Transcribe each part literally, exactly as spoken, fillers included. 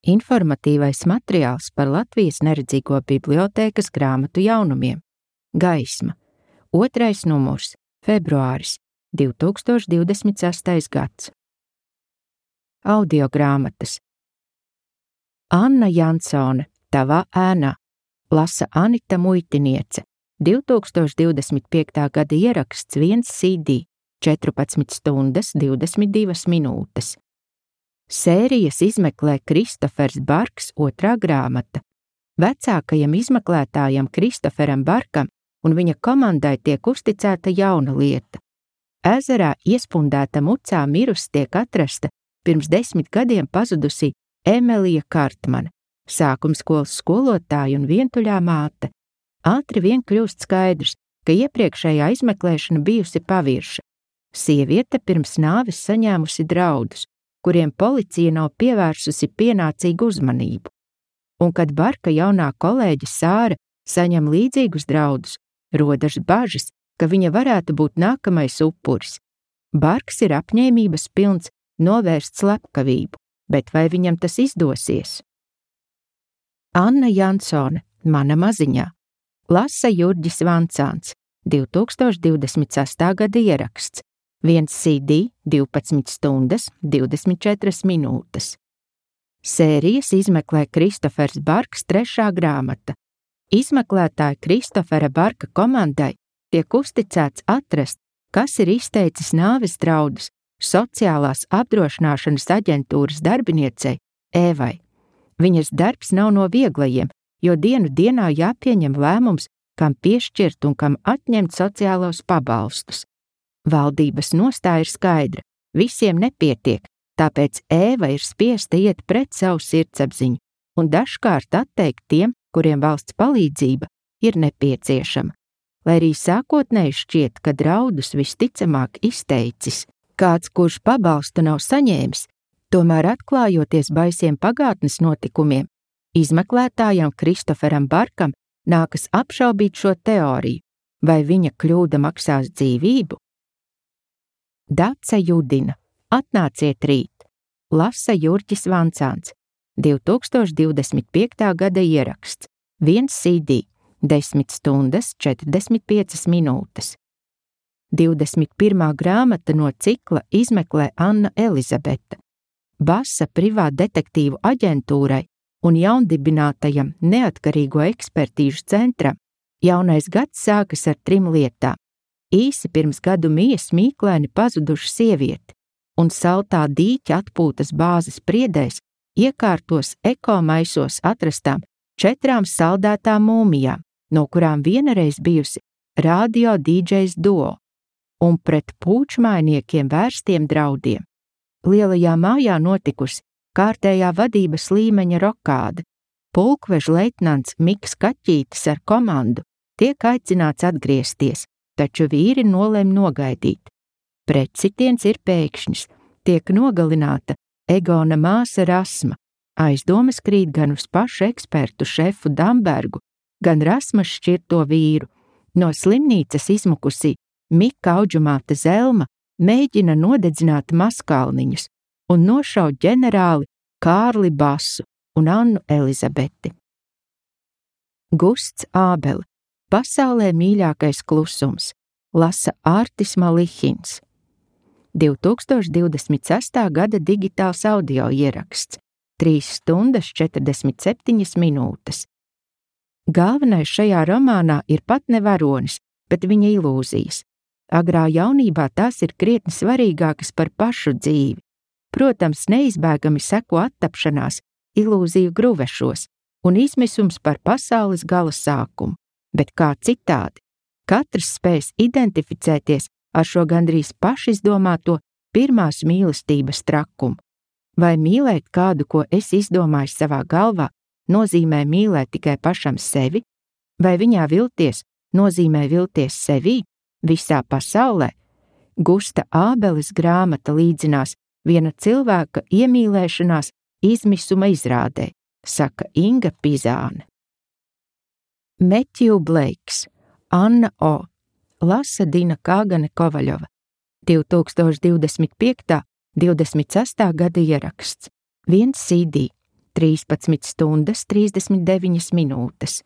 Informatīvais materiāls par Latvijas neredzīgo bibliotēkas grāmatu jaunumiem. Gaisma. Otrais numurs. Februāris. divi tūkstoši divdesmit sestais gads. Audiogrāmatas. Anna Jansone. Tavā ēnā. Lasa Anita Muitiniece. divi tūkstoši divdesmit piektā gada ieraksts viens C D. četrpadsmit stundas divdesmit divas minūtes. Sērijas izmeklē Kristofers Barks otrā grāmata. Vecākajam izmeklētājam Kristoferam Barkam un viņa komandai tiek uzticēta jauna lieta. Ezerā iespundēta mucā mirusi tiek atrasta pirms desmit gadiem pazudusī Emelija Kartmana, sākumskolas skolotāja un vientuļā māte. Ātri vien kļūst skaidrs, ka iepriekšējā izmeklēšana bijusi pavirša. Sieviete pirms nāves saņēmusi draudus, kuriem policija nav pievērsusi pienācīgu uzmanību. Un kad Barka jaunā kolēģe Sāra saņem līdzīgus draudus, rodas bažas, ka viņa varētu būt nākamais upuris. Barks ir apņēmības pilns novērst slepkavību, bet vai viņam tas izdosies? Anna Jansone, mana maziņā. Lasa Jurģis Vancāns, divi tūkstoši divdesmit sestā gada ieraksts. viens C D, divpadsmit stundas, divdesmit četras minūtes. Sērijas izmeklē Kristofers Barks trešā grāmata. Izmeklētāja Kristofera Barka komandai tiek uzticēts atrast, kas ir izteicis nāves draudus sociālās apdrošināšanas aģentūras darbiniecei Ēvai. Viņas darbs nav no vieglajiem, jo dienu dienā jāpieņem lēmums, kam piešķirt un kam atņemt sociālos pabalstus. Valdības nostāja ir skaidra, visiem nepietiek, tāpēc Ēva ir spiesta iet pret savu sirdsapziņu un dažkārt atteikt tiem, kuriem valsts palīdzība ir nepieciešama. Lai arī sākotnēji šķiet, ka draudus visticamāk izteicis kāds, kurš pabalstu nav saņēmis, tomēr atklājoties baisiem pagātnes notikumiem, izmeklētājam Kristoferam Barkam nākas apšaubīt šo teoriju, vai viņa kļūda maksās dzīvību. Dace Judina. Atnāciet rīt. Lasa Jurģis Vancāns. divi tūkstoši divdesmit piektā gada ieraksts. viens C D. desmit stundas četrdesmit piecas minūtes. divdesmit pirmā grāmata no cikla izmeklē Anna Elizabete. Basa privātdetektīvu aģentūrai un jaundibinātajam neatkarīgo ekspertīžu centram jaunais gads sākas ar trim lietām. Īsi pirms gadu mijas mīklēni pazuduša sievieti un saltā dīķa atpūtas bāzes priedēs iekārtos ekomaisos atrastām četrām saldētām mūmijām, no kurām vienreiz bijusi radio dīdžejs duo un pret pūčmainiekiem vērstiem draudiem. Lielajā mājā notikusi kārtējā vadības līmeņa rokāde. Pulkveža leitnants Miks Kaķītis ar komandu tiek aicināts atgriezties, taču vīri nolem nogaidīt. Pretsitiens ir pēkšņs, tiek nogalināta Egona māsa Rasma. Aizdomas krīt gan uz pašu ekspertu šefu Dambergu, gan Rasmas šķirto vīru. No slimnīcas izmukusī Mika audžumāta Zelma mēģina nodedzināt Maskalniņus un nošaut ģenerāli Kārli Basu un Annu Elizabeti. Gusts Ābele. Pasaulē mīļākais klusums. Lasa Ārtis Malihins. divi tūkstoši divdesmit sestā gada digitāls audio ieraksts. trīs stundas četrdesmit septiņas minūtes. Galvenais šajā romānā ir pat ne varonis, bet viņa ilūzijas. Agrā jaunībā tās ir krietni svarīgākas par pašu dzīvi. Protams, neizbēgami seko attapšanās, ilūziju gruvešos un izmisums par pasaules gala sākumu. Bet kā citādi, katrs spēs identificēties ar šo gandrīz pašizdomāto pirmās mīlestības trakumu. Vai mīlēt kādu, ko es izdomāju savā galvā, nozīmē mīlēt tikai pašam sevi? Vai viņā vilties nozīmē vilties sevī, visā pasaulē? Gusta Ābeles grāmata līdzinās viena cilvēka iemīlēšanās izmisuma izrādē, saka Inga Pizāne. Metju Bleiks. Anna O. Lasa Dina Kāgane Kovaļova. divi tūkstoši divdesmit piektā. divdesmit sestā gada ieraksts. viens C D. trīspadsmit stundas trīsdesmit deviņas minūtes.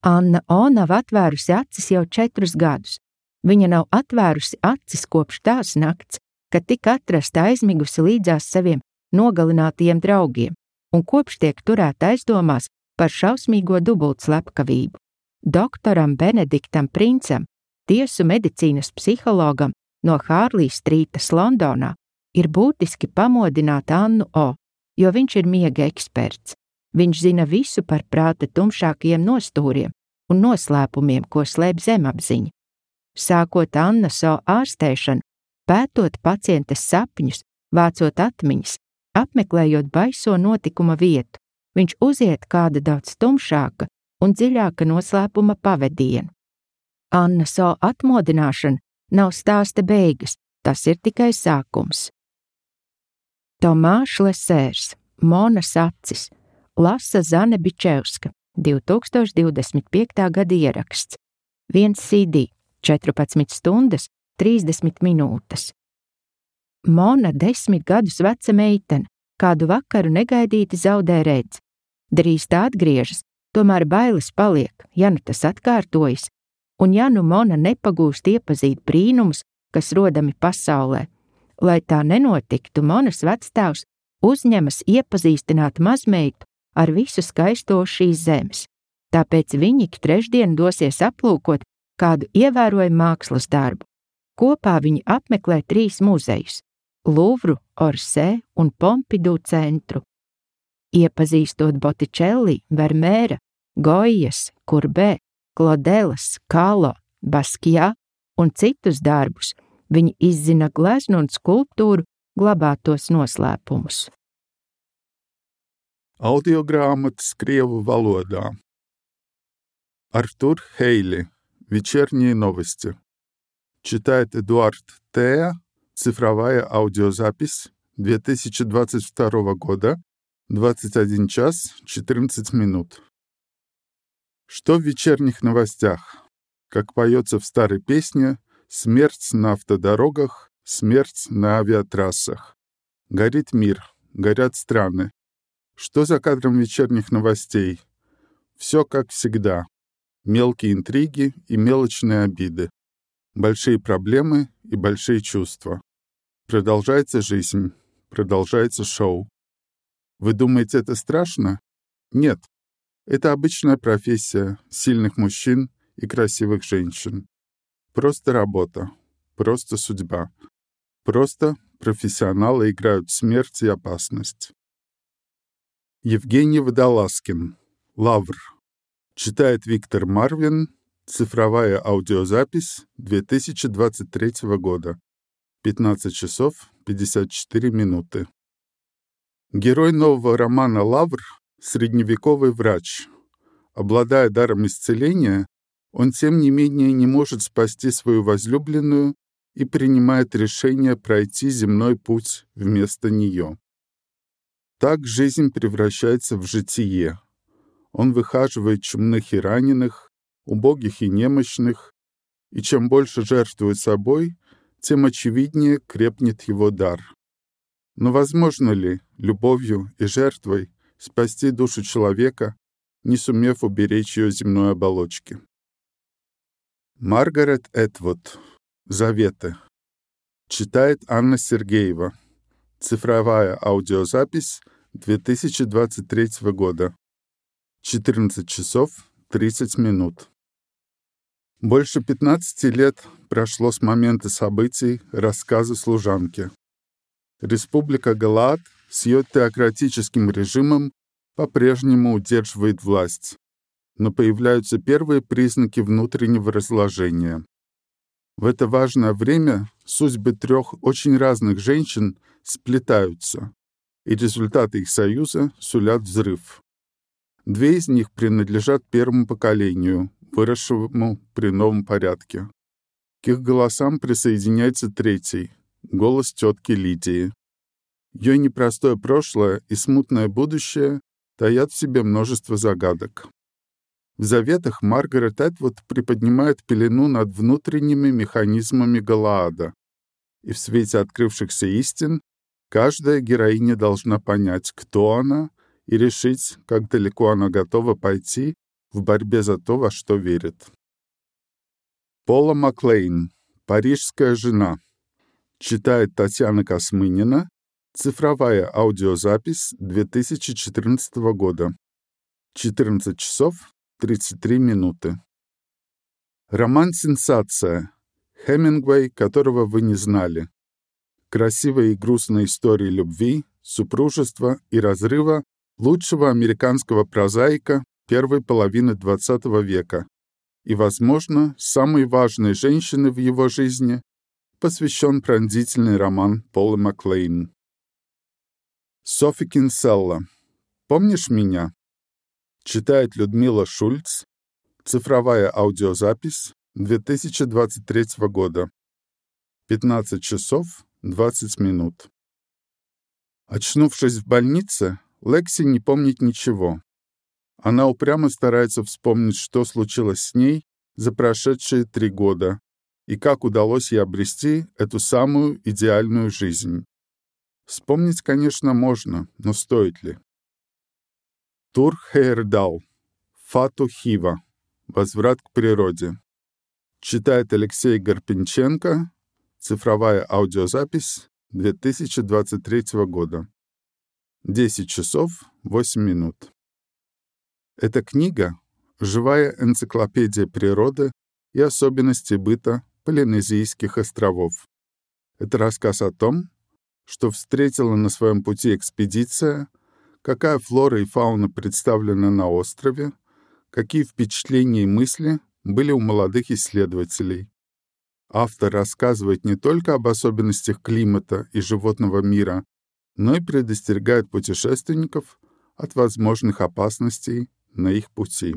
Anna O nav atvērusi acis jau četrus gadus. Viņa nav atvērusi acis kopš tās nakts, kad tika atrasta aizmigusi līdzās saviem nogalinātajiem draugiem, un kopš tiek turēta aizdomās par šausmīgo dubultslepkavību. Doktoram Benediktam Princam, tiesu medicīnas psihologam no Hārlijas strītas Londonā, ir būtiski pamodināt Annu O, jo viņš ir miega eksperts. Viņš zina visu par prāta tumšākajiem nostūriem un noslēpumiem, ko slēp zemapziņa. Sākot Annas O ārstēšanu, pētot pacientes sapņus, vācot atmiņas, apmeklējot baiso notikuma vietu, viņš uziet kāda daudz tumšāka un dziļāka noslēpuma pavedienu. Annas O atmodināšana nav stāsta beigas, tas ir tikai sākums. Tomāš Lesērs, Monas acis, lasa Zane Bičevska, divi tūkstoši divdesmit piekta gada ieraksts, viens C D, četrpadsmit stundas, trīsdesmit minūtes. Mona desmit gadus veca meitene, kādu vakaru negaidīti zaudē redzi. Drīz tā atgriežas, tomēr bailes paliek, ja nu tas atkārtojas, un ja nu Mona nepagūst iepazīt brīnumus, kas rodami pasaulē. Lai tā nenotiktu, Monas vectēvs uzņemas iepazīstināt mazmeitu ar visu skaisto šīs zemes. Tāpēc viņi ik trešdien dosies aplūkot kādu ievērojumu mākslas darbu. Kopā viņi apmeklē trīs muzejus – Luvru, Orsē un Pompidu centru. Iepazīstot Botticelli, Vermeera, Gojas, Kurbē, Klodelas, Kalo, Baskijā un citus darbus, viņi izzina gleznu un skulptūru glabātos noslēpumus. Audiogrāmatas krievu valodā. Артур Хейли. Вечерние новости. Читает Эдуард Теа. Цифровая аудиозапись две тысячи двадцать второго года. двадцать один час четырнадцать минут. Что в вечерних новостях? Как поется в старой песне, смерть на автодорогах, смерть на авиатрассах. Горит мир, горят страны. Что за кадром вечерних новостей? Все как всегда. Мелкие интриги и мелочные обиды. Большие проблемы и большие чувства. Продолжается жизнь, продолжается шоу. Вы думаете, это страшно? Нет. Это обычная профессия сильных мужчин и красивых женщин. Просто работа, просто судьба. Просто профессионалы играют смерть и опасность. Евгений Водолазкин. Лавр. Читает Виктор Марвин. Цифровая аудиозапись две тысячи двадцать третьего года. пятнадцать часов пятьдесят четыре минуты. Герой нового романа «Лавр» — средневековый врач. Обладая даром исцеления, он, тем не менее, не может спасти свою возлюбленную и принимает решение пройти земной путь вместо нее. Так жизнь превращается в житие. Он выхаживает чумных и раненых, убогих и немощных, и чем больше жертвует собой, тем очевиднее крепнет его дар. Но возможно ли любовью и жертвой спасти душу человека, не сумев уберечь ее земной оболочки? Маргарет Этвуд. Заветы. Читает Анна Сергеева. Цифровая аудиозапись две тысячи двадцать третьего года. четырнадцать часов тридцать минут. Больше пятнадцати лет прошло с момента событий рассказа служанки. Республика Галаад с ее теократическим режимом по-прежнему удерживает власть, но появляются первые признаки внутреннего разложения. В это важное время судьбы трех очень разных женщин сплетаются, и результаты их союза сулят взрыв. Две из них принадлежат первому поколению, выросшему при новом порядке. К их голосам присоединяется третий — голос тетки Лидии. Ее непростое прошлое и смутное будущее таят в себе множество загадок. В заветах Маргарет Этвуд приподнимает пелену над внутренними механизмами Галаада, и в свете открывшихся истин каждая героиня должна понять, кто она и решить, как далеко она готова пойти в борьбе за то, во что верит. Пола Маклейн. «Парижская жена». Читает Татьяна Космынина. Цифровая аудиозапись две тысячи четырнадцатого года. четырнадцать часов тридцать три минуты. Роман-сенсация. Хемингуэй, которого вы не знали. Красивая и грустная история любви, супружества и разрыва лучшего американского прозаика первой половины двадцатого века и, возможно, самой важной женщины в его жизни посвящен пронзительный роман Полы Маклейн. Софи Кинселла. «Помнишь меня?» Читает Людмила Шульц. Цифровая аудиозапись две тысячи двадцать третьего года. пятнадцать часов двадцать минут. Очнувшись в больнице, Лекси не помнит ничего. Она упрямо старается вспомнить, что случилось с ней за прошедшие три года и как удалось ей обрести эту самую идеальную жизнь. Вспомнить, конечно, можно, но стоит ли? Тур Хейердал. Фату Хива. Возврат к природе. Читает Алексей Гарпенченко. Цифровая аудиозапись две тысячи двадцать третьего года. десять часов восемь минут. Эта книга — живая энциклопедия природы и особенностей быта Полинезийских островов. Это рассказ о том, что встретила на своем пути экспедиция, какая флора и фауна представлены на острове, какие впечатления и мысли были у молодых исследователей. Автор рассказывает не только об особенностях климата и животного мира, но и предостерегает путешественников от возможных опасностей на их пути.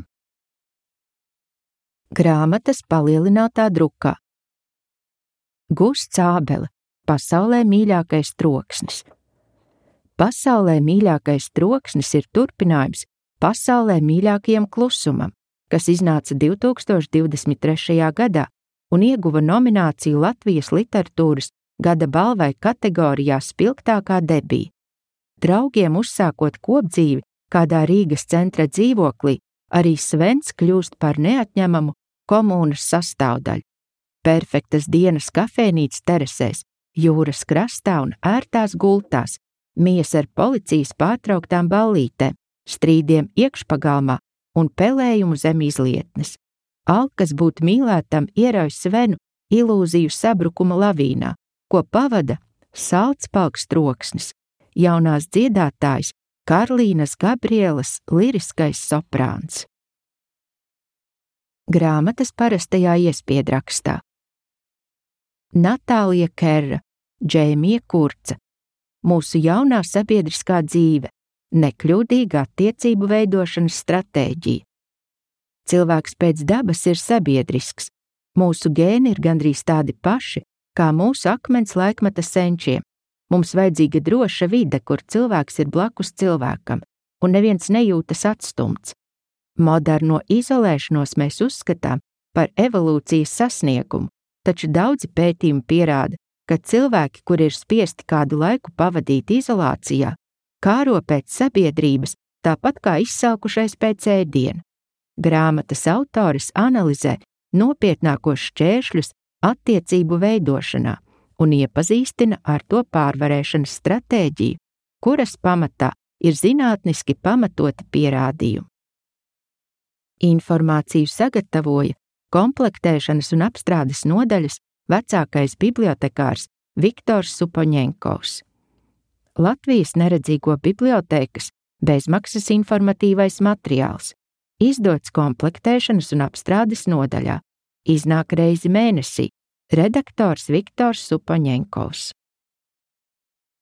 Grāmatas palielinātā drukā. Gusts Ābele. Pasaulē mīļākais troksnis. Pasaulē mīļākais troksnis ir turpinājums pasaulē mīļākajam klusumam, kas iznāca divi tūkstoši divdesmit trešajā gadā un ieguva nomināciju Latvijas literatūras gada balvai kategorijā Spilgtākā debija. Draugiem uzsākot kopdzīvi kādā Rīgas centra dzīvoklī, arī Svens kļūst par neatņemamu komūnas sastāvdaļu. Perfektas dienas kafejnīcas terasēs, jūras krastā un ērtās gultās, mijas ar policijas pārtrauktām ballītēm, strīdiem iekšpagalmā un pelējumu zem izlietnes. Alkas būt mīlētam ierauj Svenu ilūziju sabrukuma lavīnā, ko pavada saldspalks troksnis, jaunās dziedātājs Karlīnas Gabrielas liriskais soprāns. Grāmatas parastajā iespiedrakstā. Natālija Kerra, Džēmija Kurca. Mūsu jaunā sabiedriskā dzīve, nekļūdīga attiecību veidošanas stratēģija. Cilvēks pēc dabas ir sabiedrisks. Mūsu gēni ir gandrīz tādi paši, kā mūsu akmens laikmeta senčiem. Mums vajadzīga droša vide, kur cilvēks ir blakus cilvēkam, un neviens nejūtas atstumts. Moderno izolēšanos mēs uzskatām par evolūcijas sasniegumu, taču daudzi pētījumi pierāda, ka cilvēki, kuri ir spiesti kādu laiku pavadīt izolācijā, kāro pēc sabiedrības, tāpat kā izsalkušais pēc ēdiena. Grāmatas autoris analizē nopietnākos šķēršļus attiecību veidošanā un iepazīstina ar to pārvarēšanas stratēģiju, kuras pamatā ir zinātniski pamatoti pierādījumi. Informāciju sagatavoja komplektēšanas un apstrādes nodaļas vecākais bibliotekārs Viktors Supoņenkovs. Latvijas neredzīgo bibliotēkas bezmaksas informatīvais materiāls, izdots komplektēšanas un apstrādes nodaļā, iznāk reizi mēnesī, redaktors Viktors Supoņenkovs.